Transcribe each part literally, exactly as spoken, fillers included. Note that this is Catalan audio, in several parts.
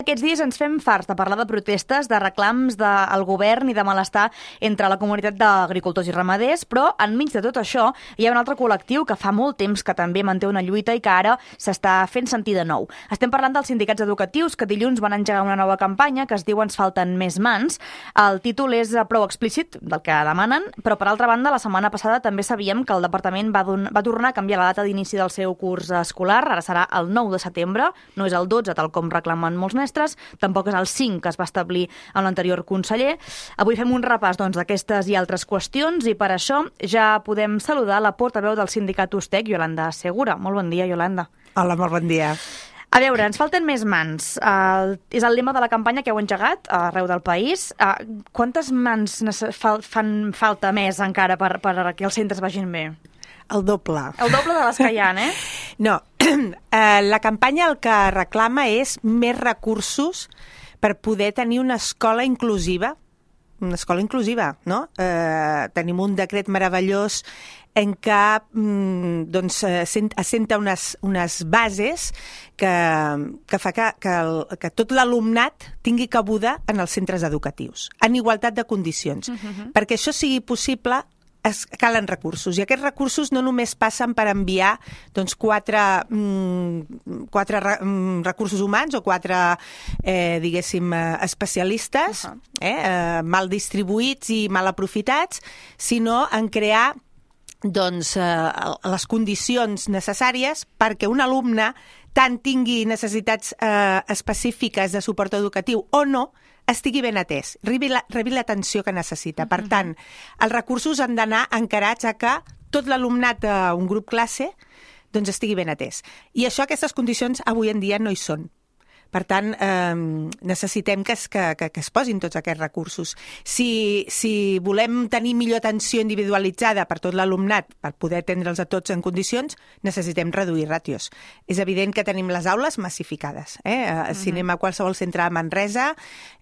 aquests dies ens fem farts de parlar de protestes, de reclams del govern i de malestar entre la comunitat d'agricultors i ramaders, però enmig de tot això hi ha un altre col·lectiu que fa molt temps que també manté una lluita i que ara s'està fent sentir de nou. Estem parlant dels sindicats educatius que dilluns van engegar una nova campanya que es diu Ens falten més mans. El títol és prou explícit del que demanen, però per altra banda, la setmana passada també sabíem que el departament va, va tornar a canviar la data d'inici del seu curs escolar. Ara serà el nou de setembre, no és el dotze, tal com reclamen molts mestres, tampoc és el cinc que es va establir amb l'anterior conseller. Avui fem un repàs doncs, d'aquestes i altres qüestions i per això ja podem saludar la portaveu del sindicat Ustec, Iolanda Segura. Molt bon dia, Iolanda. Hola, molt bon dia. A veure, ens falten més mans. Uh, és el lema de la campanya que heu engegat arreu del país. Uh, quantes mans fal fan falta més encara per, per que els centres vagin bé? El doble. El doble de les que hi ha, eh? No, eh, la campanya el que reclama és més recursos per poder tenir una escola inclusiva, una escola inclusiva, no? Eh, tenim un decret meravellós en què mm, doncs, assenta unes, unes bases que, que fa que, que, el, que tot l'alumnat tingui cabuda en els centres educatius, en igualtat de condicions. Uh-huh. Perquè això sigui possible, es calen recursos, i aquests recursos no només passen per enviar doncs, quatre, mm, quatre re, mm, recursos humans o quatre, eh, diguéssim, eh, especialistes, uh-huh. eh, eh, mal distribuïts i mal aprofitats, sinó en crear doncs, eh, les condicions necessàries perquè un alumne tant tingui necessitats eh, específiques de suport educatiu o no, estigui ben atès, rebi l'atenció que necessita. Per tant, els recursos han d'anar encarats a que tot l'alumnat d'un grup classe doncs estigui ben atès. I això, aquestes condicions, avui en dia no hi són. Per tant, eh, necessitem que es, que, que, que es posin tots aquests recursos. Si, si volem tenir millor atenció individualitzada per tot l'alumnat, per poder atendre'ls a tots en condicions, necessitem reduir ràtios. És evident que tenim les aules massificades. Eh? Uh-huh. Si anem a qualsevol centre de Manresa,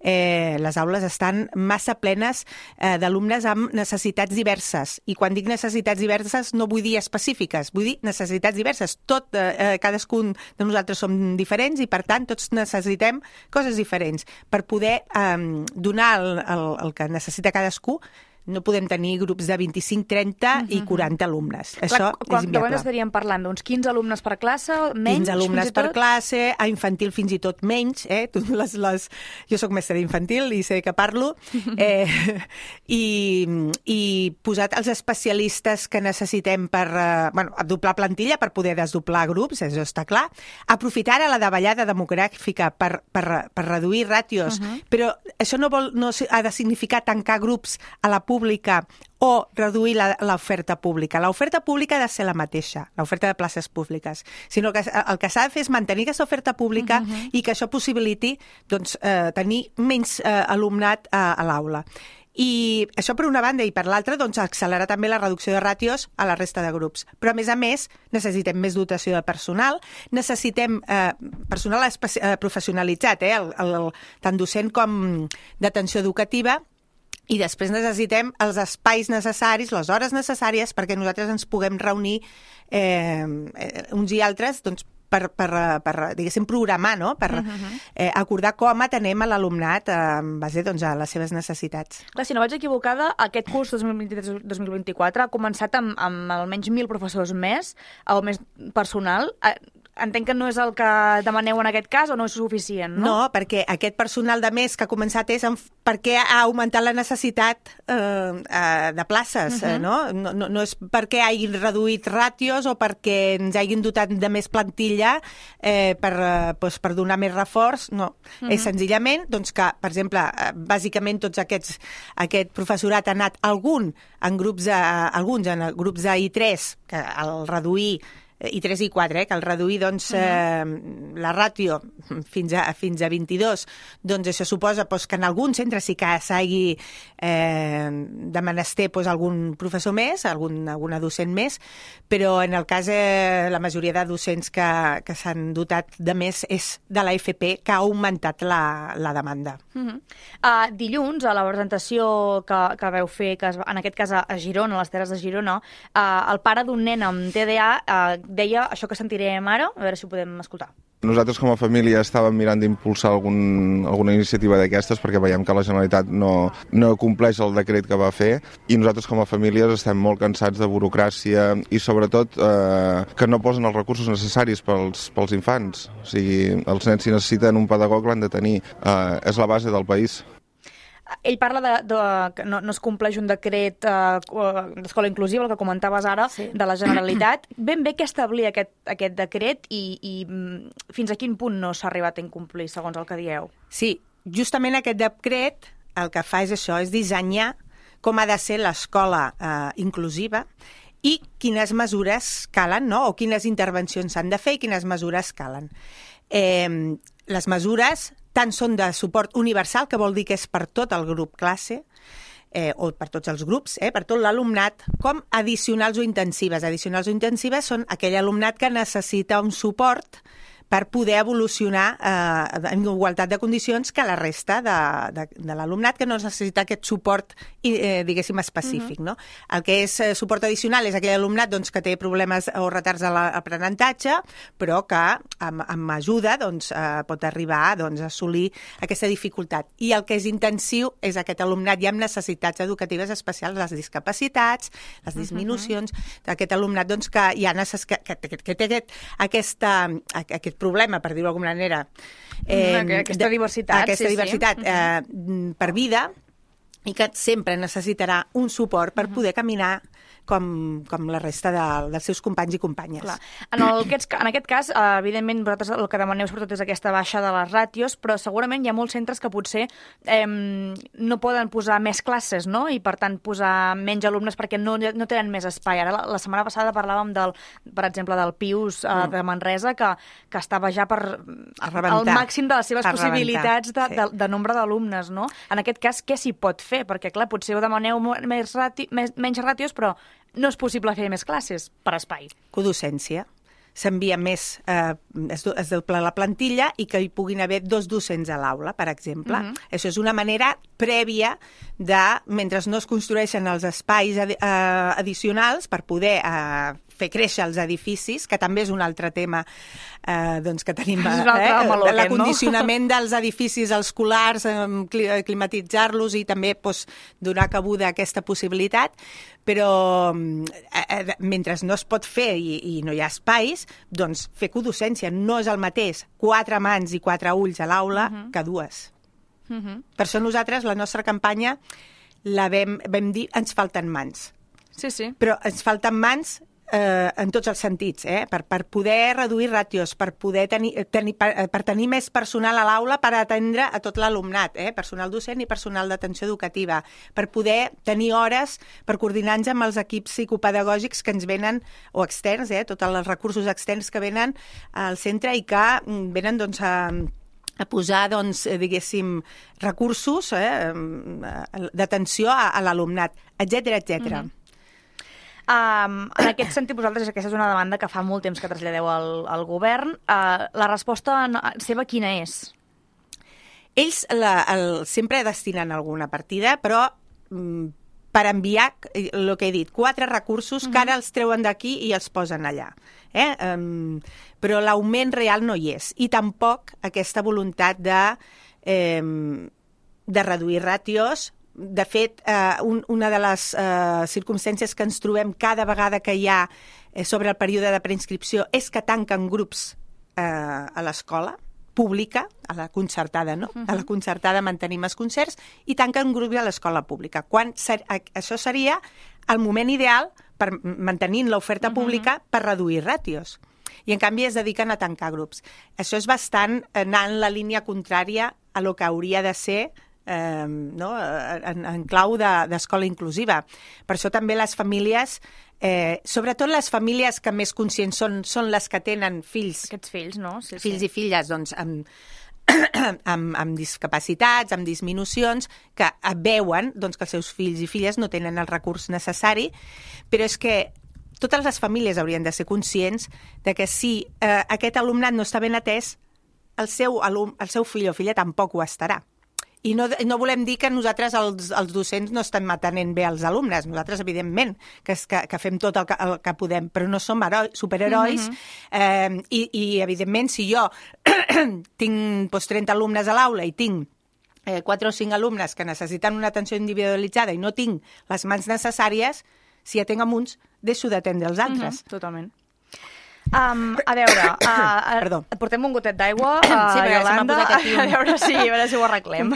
eh, les aules estan massa plenes eh, d'alumnes amb necessitats diverses. I quan dic necessitats diverses no vull dir específiques, vull dir necessitats diverses. Tot, eh, cadascun de nosaltres som diferents i, per tant, tots necessitem coses diferents. Per poder eh, donar el, el, el que necessita cadascú, no podem tenir grups de vint-i-cinc, trenta uh-huh. i quaranta alumnes. Clar, Això quan, és inviable. Quan estaríem parlant? D'uns quinze alumnes per classe? Menys? quinze alumnes per classe, a infantil fins i tot menys. Eh? Les, les... Jo soc mestra d'infantil i sé que parlo. Eh, i, I posat els especialistes que necessitem per eh, bueno, doblar plantilla, per poder desdoblar grups, això està clar. Aprofitar ara la davallada demogràfica per, per, per reduir ràtios, uh-huh. però això no, vol, no ha de significar tancar grups a la pública o reduir l'oferta pública. L'oferta pública ha de ser la mateixa, l'oferta de places públiques, sinó que el que s'ha de fer és mantenir aquesta oferta pública uh-huh. i que això possibiliti doncs, eh, tenir menys eh, alumnat a, a l'aula. I això per una banda, i per l'altra, doncs, accelerar també la reducció de ràtios a la resta de grups. Però, a més a més, necessitem més dotació de personal, necessitem eh, personal eh, professionalitzat, eh, el, el, tant docent com d'atenció educativa, i després necessitem els espais necessaris, les hores necessàries perquè nosaltres ens puguem reunir eh, uns i altres doncs, per, per, per diguéssim, programar, no? Per uh-huh. eh, acordar com atenem a l'alumnat eh, en base doncs, a les seves necessitats. Clar, si no vaig equivocada, aquest curs dos mil vint-i-tres dos mil vint-i-quatre ha començat amb, amb almenys mil professors més o més personal. Entenc que no és el que demaneu en aquest cas o no és suficient, no? No, perquè aquest personal de més que ha començat és en, perquè ha augmentat la necessitat eh, eh, de places, uh-huh. eh, no? No, no? No és perquè hagin reduït ràtios o perquè ens hagin dotat de més plantilla eh, per, eh, doncs, per donar més reforç, no. Uh-huh. És senzillament doncs, que, per exemple, bàsicament tots aquests aquest professorat ha anat algun en grups de, alguns en grups de I tres, que al reduir i tres i quatre, eh, que al reduir doncs, eh, la ràtio fins a, fins a vint-i-dos, doncs això suposa doncs, que en algun centre sí que s'hagi eh, de menester doncs, algun professor més, algun, alguna docent més, però en el cas eh, la majoria de docents que, que s'han dotat de més és de l'A F P, que ha augmentat la, la demanda. Uh-huh. uh, dilluns, a la presentació que, que veu fer, que es, en aquest cas a Girona, a les Terres de Girona, uh, el pare d'un nen amb T D A uh, deia això que sentirem ara, a veure si ho podem escoltar. Nosaltres com a família estàvem mirant d'impulsar algun, alguna iniciativa d'aquestes perquè veiem que la Generalitat no, no compleix el decret que va fer i nosaltres com a famílies estem molt cansats de burocràcia i sobretot eh, que no posen els recursos necessaris pels, pels infants. O sigui, els nens si necessiten un pedagog l'han de tenir. Eh, és la base del país. Ell parla de, de que no, no es compleix un decret eh, d'escola inclusiva, el que comentaves ara, sí. de la Generalitat. Ben bé què establia aquest, aquest decret i, i fins a quin punt no s'ha arribat a incomplir, segons el que dieu? Sí, justament aquest decret el que fa és això, és dissenyar com ha de ser l'escola eh, inclusiva i quines mesures calen, no? O quines intervencions s'han de fer i quines mesures calen. Eh, les mesures tant són de suport universal, que vol dir que és per tot el grup classe, eh, o per tots els grups, eh, per tot l'alumnat, com addicionals o intensives. Addicionals o intensives són aquell alumnat que necessita un suport per poder evolucionar eh, en igualtat de condicions que la resta de, de, de l'alumnat que no necessita aquest suport, eh, diguéssim, específic. Uh-huh. No? El que és eh, suport addicional és aquell alumnat doncs, que té problemes o retards a l'aprenentatge, però que amb, amb ajuda doncs, eh, pot arribar doncs, a assolir aquesta dificultat. I el que és intensiu és aquest alumnat ja amb necessitats educatives especials, les discapacitats, les disminucions, uh-huh. aquest alumnat doncs, que ja necess... que, que, que, que té aquest, aquesta, aquest problema, per dir-ho d'alguna manera. Eh, aquesta diversitat. Aquesta sí, diversitat sí. eh, per vida i que sempre necessitarà un suport per poder caminar com, com la resta de, dels seus companys i companyes. Clar. En, el, en aquest cas, evidentment, vosaltres el que demaneu sobretot és aquesta baixa de les ràtios, però segurament hi ha molts centres que potser eh, no poden posar més classes, no? I, per tant, posar menys alumnes perquè no, no tenen més espai. Ara, la, la setmana passada parlàvem, del, per exemple, del Pius eh, mm. de Manresa, que, que estava ja per al màxim de les seves possibilitats de, sí. de, de nombre d'alumnes, no? En aquest cas, què s'hi pot fer? Perquè, clar, potser ho demaneu més rati, més, menys ràtios, però no és possible fer més classes per espai. Codocència. S'envia més, eh, es, es dobla la plantilla i que hi puguin haver dos docents a l'aula, per exemple. Uh-huh. Això és una manera prèvia de, mentre no es construeixen els espais adi- eh, addicionals per poder eh, fer créixer els edificis, que també és un altre tema eh, doncs que tenim, eh, l'acondicionament no? dels edificis escolars, eh, climatitzar-los i també doncs, donar cabuda a aquesta possibilitat, però eh, mentre no es pot fer i, i no hi ha espais, doncs fer codocència no és el mateix quatre mans i quatre ulls a l'aula uh-huh. que dues. Uh-huh. Per això nosaltres, la nostra campanya, la vam, vam dir, ens falten mans. Sí, sí. Però ens falten mans eh, en tots els sentits, eh? per, per poder reduir ràtios, per poder tenir, tenir, per, per tenir més personal a l'aula per atendre a tot l'alumnat, eh? Personal docent i personal d'atenció educativa, per poder tenir hores per coordinar-nos amb els equips psicopedagògics que ens venen, o externs, eh? Tots els recursos externs que venen al centre i que venen doncs, a, a posar, doncs, diguéssim, recursos eh? d'atenció a, a l'alumnat, etcètera, etcètera. Mm-hmm. Um, en aquest sentit, vosaltres, aquesta és una demanda que fa molt temps que traslladeu al, al govern. Uh, la resposta seva quina és? Ells la, el, sempre destinen alguna partida, però mm, per enviar, el que he dit, quatre recursos uh-huh. que ara els treuen d'aquí i els posen allà. Eh? Um, però l'augment real no hi és. I tampoc aquesta voluntat de, eh, de reduir ràtios. De fet, eh, un, una de les eh, circumstàncies que ens trobem cada vegada que hi ha eh, sobre el període de preinscripció és que tanquen grups eh, a l'escola pública, a la concertada, no? Uh-huh. A la concertada mantenim els concerts i tanquen grups a l'escola pública. Quan ser, això seria el moment ideal per mantenint l'oferta uh-huh. pública per reduir ràtios. I, en canvi, es dediquen a tancar grups. Això és bastant anar en la línia contrària a lo que hauria de ser Eh, no? en, en clau d'escola de, inclusiva. Per això també les famílies, eh, sobretot les famílies que més conscients són, són les que tenen fills. Aquests fills, no? Sí, fills sí. i filles, doncs, amb, amb, amb discapacitats, amb disminucions, que veuen doncs, que els seus fills i filles no tenen el recurs necessari, però és que totes les famílies haurien de ser conscients de que si eh, aquest alumnat no està ben atès, el seu, alum, el seu fill o filla tampoc ho estarà. I no, no volem dir que nosaltres, els, els docents, no estem atenent bé els alumnes. Nosaltres, evidentment, que, que, que fem tot el que, el que podem, però no som heroi, superherois. Mm-hmm. eh, i, I, evidentment, si jo tinc doncs, trenta alumnes a l'aula i tinc eh, quatre o cinc alumnes que necessiten una atenció individualitzada i no tinc les mans necessàries, si atenc amb uns, deixo d'atendre els altres. Mm-hmm, totalment. Um, a veure, uh, Perdó. portem un gotet d'aigua, uh, sí, Iolanda, aquí un... a veure si, a veure si ho arreglem.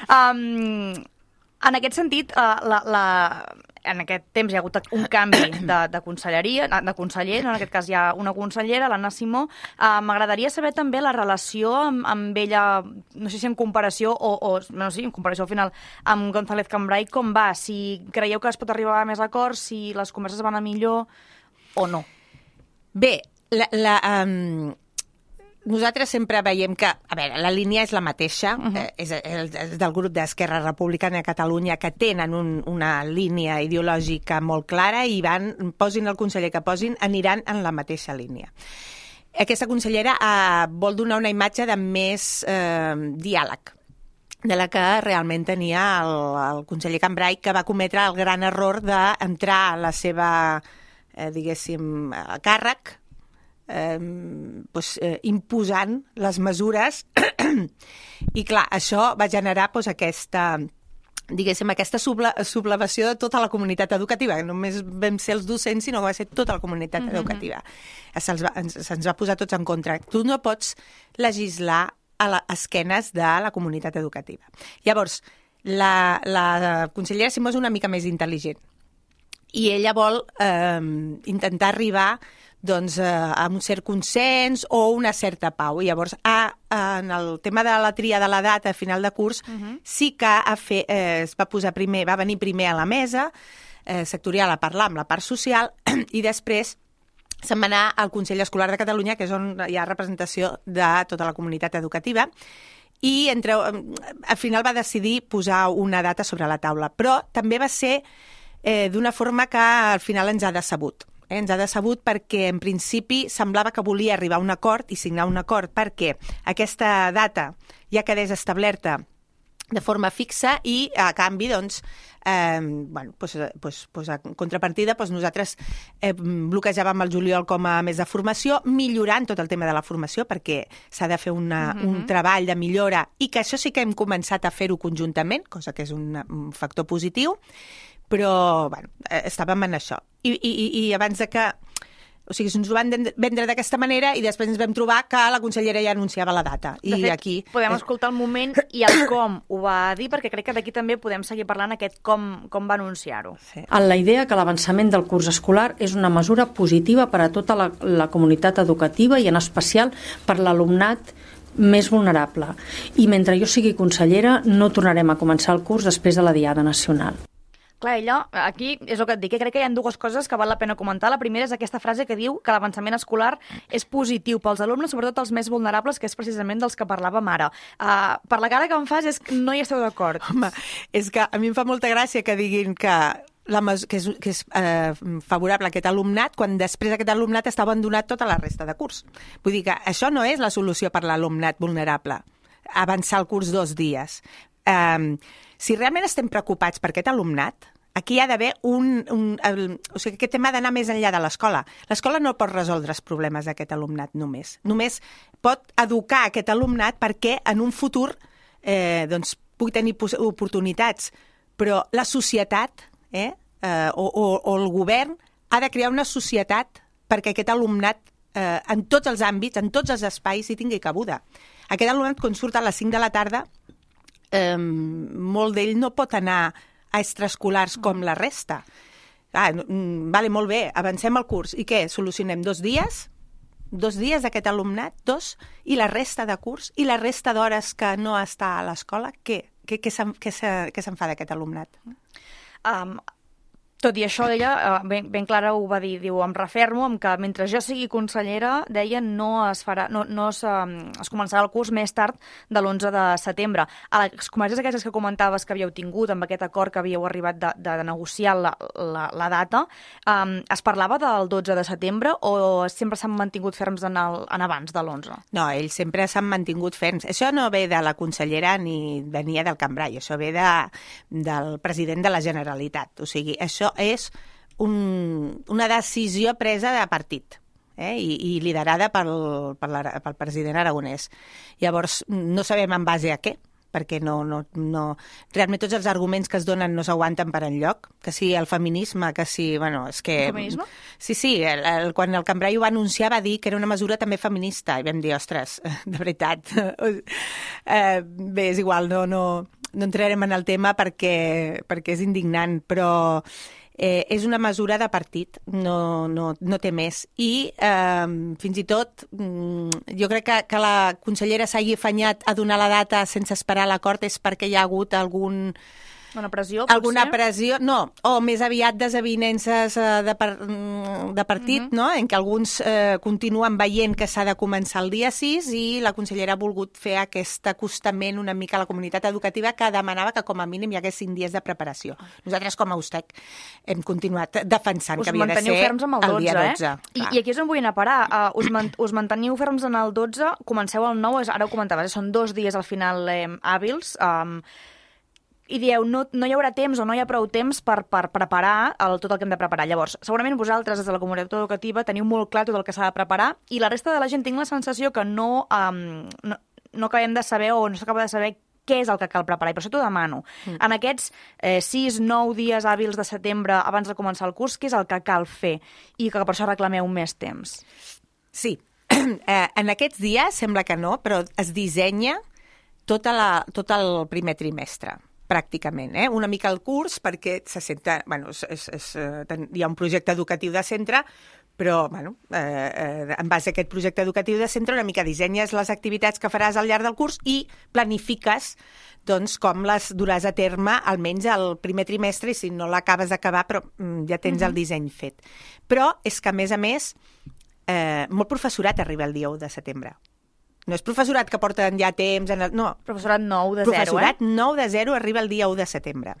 um, en aquest sentit, uh, la, la, en aquest temps hi ha hagut un canvi de, de conselleria, de conseller, en aquest cas hi ha una consellera, l'Anna Simó. Uh, M'agradaria saber també la relació amb, amb ella, no sé si en comparació, o, o no sé, en comparació al final, amb González Cambray, com va? Si creieu que es pot arribar a més acords, si les converses van a millor o no? Bé, la, la, um, nosaltres sempre veiem que, a veure, la línia és la mateixa, uh-huh. eh, és, és del grup d'Esquerra Republicana de Catalunya, que tenen un, una línia ideològica molt clara i van, posin el conseller que posin, aniran en la mateixa línia. Aquesta consellera eh, vol donar una imatge de més eh, diàleg, de la que realment tenia el, el conseller Cambray, que va cometre el gran error d'entrar a la seva... Eh, diguéssim, a càrrec, eh, doncs, eh, imposant les mesures i clar, això va generar doncs, aquesta, diguéssim, aquesta sublevació de tota la comunitat educativa, que només vam ser els docents, sinó que va ser tota la comunitat mm-hmm. educativa. Se'ns va, se'ns va posar tots en contra. Tu no pots legislar a les esquenes de la comunitat educativa. Llavors, la, la consellera Simó és una mica més intel·ligent, i ella vol eh, intentar arribar doncs, eh, a un cert consens o una certa pau. I llavors, a, en el tema de la tria de la data a final de curs, uh-huh. sí que ha fet, eh, es va posar primer, va venir primer a la mesa eh, sectorial a parlar amb la part social i després se'n va anar al Consell Escolar de Catalunya, que és on hi ha representació de tota la comunitat educativa, i entre, al final va decidir posar una data sobre la taula. Però també va ser Eh, d'una forma que al final ens ha decebut. Eh? Ens ha decebut perquè en principi semblava que volia arribar a un acord i signar un acord perquè aquesta data ja quedés establerta de forma fixa i a canvi, doncs, eh, bueno, pues, pues, pues a contrapartida, pues nosaltres eh, bloquejàvem el juliol com a mes de formació, millorant tot el tema de la formació perquè s'ha de fer una, mm-hmm. un treball de millora i que això sí que hem començat a fer-ho conjuntament, cosa que és un, un factor positiu, però bueno, estàvem en això. I, i, i abans de que... O sigui, ens ho van vendre d'aquesta manera i després ens vam trobar que la consellera ja anunciava la data. De I fet, aquí... podem escoltar el moment i el com ho va dir, perquè crec que d'aquí també podem seguir parlant aquest com, com va anunciar-ho. Sí. En la idea que l'avançament del curs escolar és una mesura positiva per a tota la, la comunitat educativa i en especial per l'alumnat més vulnerable. I mentre jo sigui consellera no tornarem a començar el curs després de la Diada Nacional. Clar, ella, aquí és el que et dic, que crec que hi ha dues coses que val la pena comentar. La primera és aquesta frase que diu que l'avançament escolar és positiu pels alumnes, sobretot els més vulnerables, que és precisament dels que parlàvem ara. Uh, per la cara que em fas és que no hi esteu d'acord. Home, és que a mi em fa molta gràcia que diguin que la mes- que és, que és eh, favorable a aquest alumnat, quan després aquest alumnat està abandonat tota la resta de curs. Vull dir que això no és la solució per l'alumnat vulnerable, avançar el curs dos dies. Um, si realment estem preocupats per aquest alumnat, aquí hi ha d'haver un... un el, o sigui, aquest tema ha d'anar més enllà de l'escola. L'escola no pot resoldre els problemes d'aquest alumnat només. Només pot educar aquest alumnat perquè en un futur eh, doncs, pugui tenir oportunitats. Però la societat eh, eh, o, o, o el govern ha de crear una societat perquè aquest alumnat eh, en tots els àmbits, en tots els espais, hi tingui cabuda. Aquest alumnat, quan surt a les cinc de la tarda, eh, molt d'ell no pot anar a extraescolars com la resta. Ah, vale, molt bé, avancem el curs. I què? Solucionem dos dies? Dos dies d'aquest alumnat? Dos? I la resta de curs? I la resta d'hores que no està a l'escola? Què? Què, què se'n, què se, què se'n fa d'aquest alumnat? Um, Tot i això, ella ben, ben clara ho va dir, diu, em refermo amb que mentre jo sigui consellera, deia, no es farà, no, no es, es començarà el curs més tard de l'onze de setembre. A les converses aquestes que comentaves que havíeu tingut, amb aquest acord que havíeu arribat de, de, de negociar la, la, la data, um, es parlava del dotze de setembre o sempre s'han mantingut ferms en, el, en abans de l'onze? No, ells sempre s'han mantingut ferms. Això no ve de la consellera ni venia del Cambrai, això ve de, del president de la Generalitat. O sigui, això és un, una decisió presa de partit eh? I, i liderada pel, pel, pel president aragonès. Llavors, no sabem en base a què, perquè no, no, no... realment tots els arguments que es donen no s'aguanten per enlloc, que si el feminisme, que si... Bueno, és que... El feminisme? Sí, sí, el, el, quan el Cambrai ho va anunciar va dir que era una mesura també feminista, i vam dir, ostres, de veritat, eh, bé, és igual, no, no, no entrarem en el tema perquè, perquè és indignant, però... Eh, és una mesura de partit, no, no, no té més. I eh, fins i tot mm, jo crec que, que la consellera s'hagi afanyat a donar la data sense esperar l'acord és perquè hi ha hagut algun... Una pressió, Alguna potser? pressió, no, o més aviat desavinences eh, de, par, de partit, uh-huh. no? En què alguns eh, continuen veient que s'ha de començar el dia sis i la consellera ha volgut fer aquest acostament una mica a la comunitat educativa que demanava que com a mínim hi hagués cinc dies de preparació. Nosaltres com a USTEC hem continuat defensant us que havia de ser ferms amb el, el dia dotze. Eh? I, I aquí és on vull anar a parar. Uh, us, man, us manteniu ferms en el dotze, comenceu el nou, ara ho comentaves, eh? Són dos dies al final eh, hàbils, um, i dieu, no, no hi haurà temps o no hi ha prou temps per, per preparar el, tot el que hem de preparar. Llavors, segurament vosaltres, des de la comunitat educativa, teniu molt clar tot el que s'ha de preparar i la resta de la gent tinc la sensació que no, um, no, no acabem de saber o no s'acaba de saber què és el que cal preparar. I per això t'ho demano. Mm. En aquests eh, sis, nou dies hàbils de setembre abans de començar el curs, què és el que cal fer? I que per això reclameu més temps. Sí. Eh, en aquests dies, sembla que no, però es dissenya tota la, tot el primer trimestre. Pràcticament, eh? Una mica el curs, perquè se senta, bueno, és, és, és, hi ha un projecte educatiu de centre, però bueno, eh, eh, en base a aquest projecte educatiu de centre una mica dissenyes les activitats que faràs al llarg del curs i planifiques doncs, com les duràs a terme almenys el primer trimestre i si no l'acabes d'acabar però mm, ja tens mm-hmm. el disseny fet. Però és que a més a més eh, molt professorat arriba el dia u de setembre. No és professorat que porten ja temps... En el... No. Professorat nou de professorat zero, eh? Professorat nou de zero arriba el dia u de setembre.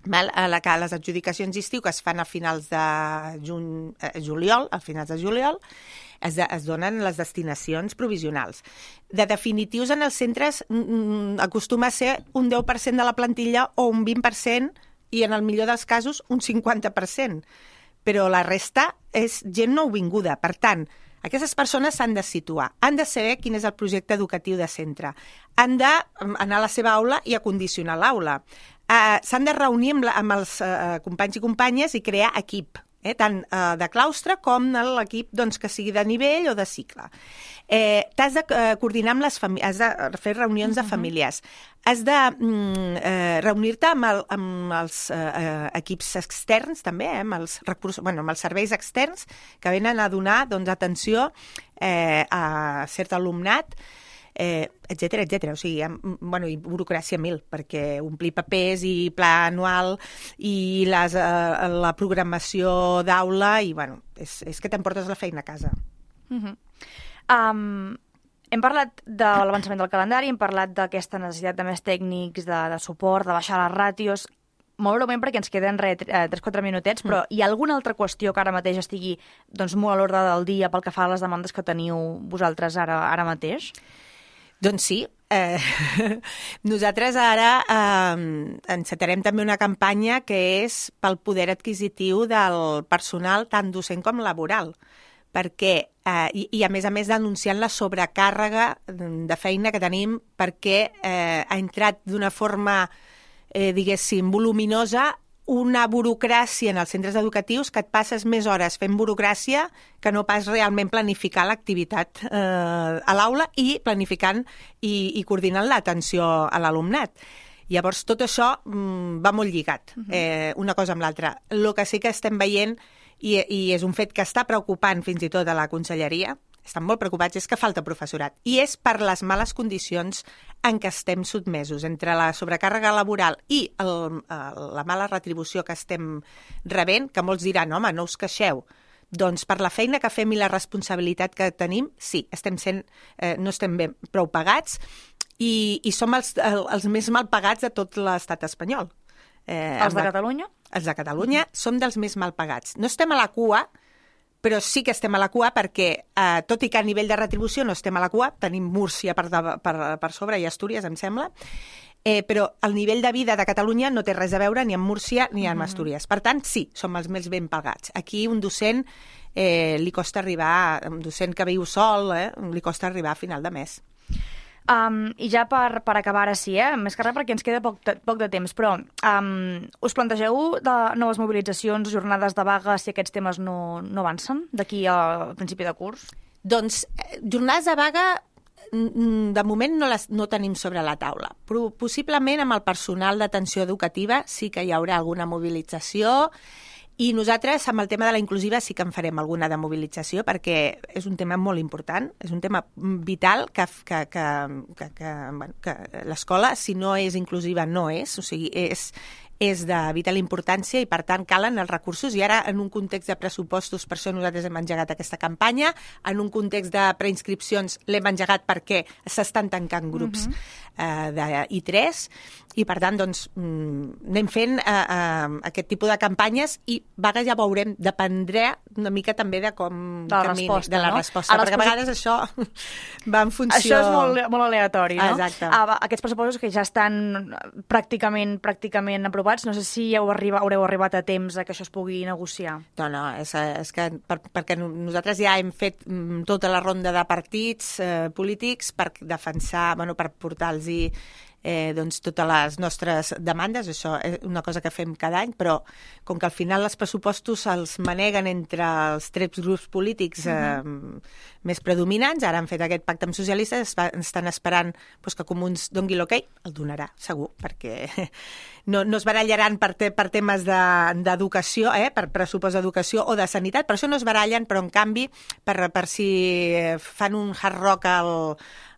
Val? A la, a les adjudicacions d'estiu que es fan a finals de juny, eh, juliol, a finals de juliol, es, de, es donen les destinacions provisionals. De definitius en els centres mm, acostuma a ser un deu per cent de la plantilla o un vint per cent i en el millor dels casos un cinquanta per cent. Però la resta és gent nouvinguda. Per tant, aquestes persones s'han de situar, han de saber quin és el projecte educatiu de centre, han d'anar a la seva aula i acondicionar l'aula, uh, s'han de reunir amb, la, amb els uh, companys i companyes i crear equip, eh, tant uh, de claustre com l'equip doncs, que sigui de nivell o de cicle. Eh, t'has de uh, coordinar amb les famílies, has de fer reunions de famílies, has de mm, eh, reunir-te amb, el, amb els eh, equips externs també, eh, amb, els recursos, bueno, amb els serveis externs que venen a donar doncs, atenció eh, a cert alumnat, eh, etcètera, etcètera. O sigui, bueno, i burocràcia mil, perquè omplir papers i pla anual i les, eh, la programació d'aula i, bueno, és, és que t'emportes la feina a casa. Mm-hmm. Um... Hem parlat de l'avançament del calendari, hem parlat d'aquesta necessitat de més tècnics, de, de suport, de baixar les ràtios. Molt breument, perquè ens queden tres o quatre minutets, però hi ha alguna altra qüestió que ara mateix estigui doncs, molt a l'ordre del dia pel que fa a les demandes que teniu vosaltres ara, ara mateix? Doncs sí. Eh, nosaltres ara eh, encetarem també una campanya que és pel poder adquisitiu del personal tant docent com laboral, perquè, eh, i, i a més a més denunciant la sobrecàrrega de feina que tenim perquè eh, ha entrat d'una forma, eh, diguéssim, voluminosa una burocràcia en els centres educatius que et passes més hores fent burocràcia que no pas realment planificar l'activitat eh, a l'aula i planificant i, i coordinant l'atenció a l'alumnat. Llavors, tot això mm, va molt lligat, eh, una cosa amb l'altra. El que sí que estem veient, i, i és un fet que està preocupant fins i tot a la conselleria, estan molt preocupats, és que falta professorat. I és per les males condicions en què estem sotmesos, entre la sobrecàrrega laboral i el, el, la mala retribució que estem rebent, que molts diran, home, no us queixeu. Doncs per la feina que fem i la responsabilitat que tenim, sí, estem sent, eh, no estem ben prou pagats i, i som els, els més mal pagats de tot l'estat espanyol. Eh, els de la, Catalunya? Els de Catalunya mm. som dels més mal pagats. No estem a la cua, però sí que estem a la cua perquè, eh, tot i que a nivell de retribució no estem a la cua, tenim Múrcia per, de, per, per sobre i Astúries, em sembla, eh, però el nivell de vida de Catalunya no té res a veure ni amb Múrcia ni amb mm. Astúries. Per tant, sí, som els més ben pagats. Aquí un docent eh, li costa arribar, un docent que viu sol, eh, li costa arribar a final de mes. Um, I ja per, per acabar ara sí, eh? Més que res perquè ens queda poc de, poc de temps, però um, us plantegeu de noves mobilitzacions, jornades de vaga, si aquests temes no, no avancen d'aquí al principi de curs? Doncs jornades de vaga de moment no les no tenim sobre la taula, però possiblement amb el personal d'atenció educativa sí que hi haurà alguna mobilització. I nosaltres, amb el tema de la inclusiva, sí que en farem alguna de mobilització perquè és un tema molt important, és un tema vital que, que, que, que, que, bueno, que l'escola, si no és inclusiva, no és, o sigui, és, és de vital importància i, per tant, calen els recursos. I ara, en un context de pressupostos, per això nosaltres hem engegat aquesta campanya, en un context de preinscripcions l'hem engegat perquè s'estan tancant grups uh-huh. eh, de I tres, i, per tant, doncs, anem fent eh, eh, aquest tipus de campanyes i vaga ja veurem, dependrà una mica també de com de la camini, resposta, de la no? resposta, perquè a vegades això va en funció... Això és molt, molt aleatori, no? Exacte. Ah, aquests pressupostos que ja estan pràcticament pràcticament aprovats, no sé si heu arriba, haureu arribat a temps a que això es pugui negociar. No, no, és, és que per, perquè nosaltres ja hem fet tota la ronda de partits eh, polítics per defensar, bueno, per portar-los Eh, doncs totes les nostres demandes, això és una cosa que fem cada any, però com que al final els pressupostos els maneguen entre els tres grups polítics eh, uh-huh. més predominants, ara han fet aquest pacte amb socialistes, estan esperant doncs, que Comuns dongui l'ok, el donarà, segur, perquè no, no es barallaran per, te, per temes d'educació, de, eh, per pressupost d'educació o de sanitat, per això no es barallen, però en canvi, per, per si fan un hard rock al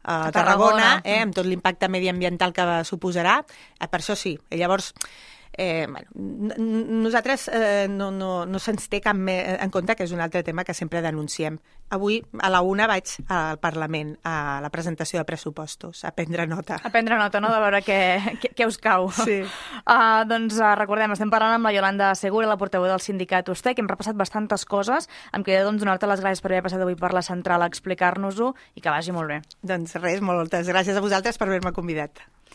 a Tarragona, eh, amb tot l'impacte mediambiental que suposarà, eh, per això sí. I llavors, eh, bueno, nosaltres eh, no, no, no se'ns té cap en compte, que és un altre tema que sempre denunciem. Avui, a la una, vaig al Parlament a la presentació de pressupostos, a prendre nota. A prendre nota, no?, de veure què, què, què us cau. Sí. Uh, doncs uh, recordem, estem parlant amb la Iolanda Segura, la portaveu del sindicat U S T E, que hem repassat bastantes coses. Em queda doncs, donar-te les gràcies per haver passat avui per la central a explicar-nos-ho i que vagi molt bé. Doncs res, moltes gràcies a vosaltres per haver-me convidat.